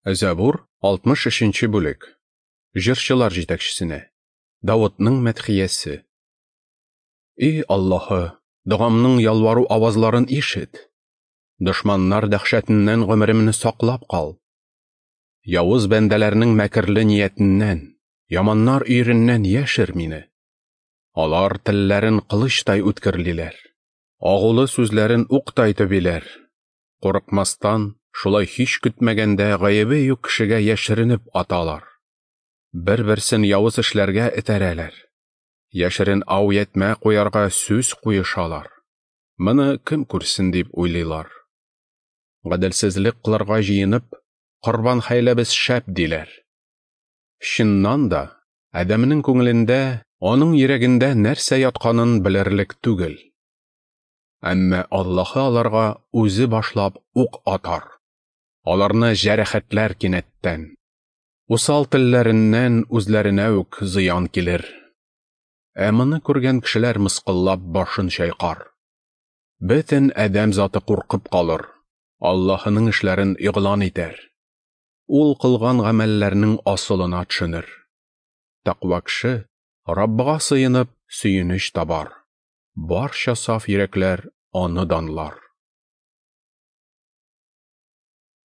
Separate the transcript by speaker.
Speaker 1: Зәбур, 63 нче бүлек. Җырчылар җитәкчесенә. Давытның мәдхиясе. И Аллаһы, догамның ялвару авазларын ишет. Дошманнар дәһшәтеннән гомеремне саклап кал. Явыз бәндәләрнең мәкерле ниятеннән, яманнар өереннән яшер мине. Алар телләрен кылычтай үткерлиләр. Агулы сүзләрен уктай төбиләр. Курыкмастан, шулай һич көтмәгәндә гаебе юк кешегә яшеренеп аталар. Бер-берсен явыз эшләргә этәрәләр. Яшерен ау ятмә куярга сүз куешалар. Моны кем күрсен дип уйлыйлар. Гаделсезлек кылырга җыенып, корбан хәйләбез шәп диләр. Чыннан да, адәмнең күңелендә, аның йөрәгендә нәрсә ятканын белерлек түгел. Әмма Аллаһы аларга үзе башлап ук атар. Аларны җәрәхәтләр кинәттән. Усал телләреннән үзләренә үк зыян килер. Ә моны күргән кешеләр мыскыллап башын чайкар. Бөтен адәм заты куркып калыр, Аллаһының эшләрен игълан итәр. Ул кылган гамәлләрнең асылына төшенер. Тәкъва кеше Раббыга сыенып сөенеч табар. Барча саф йөрәкләр аны данлар.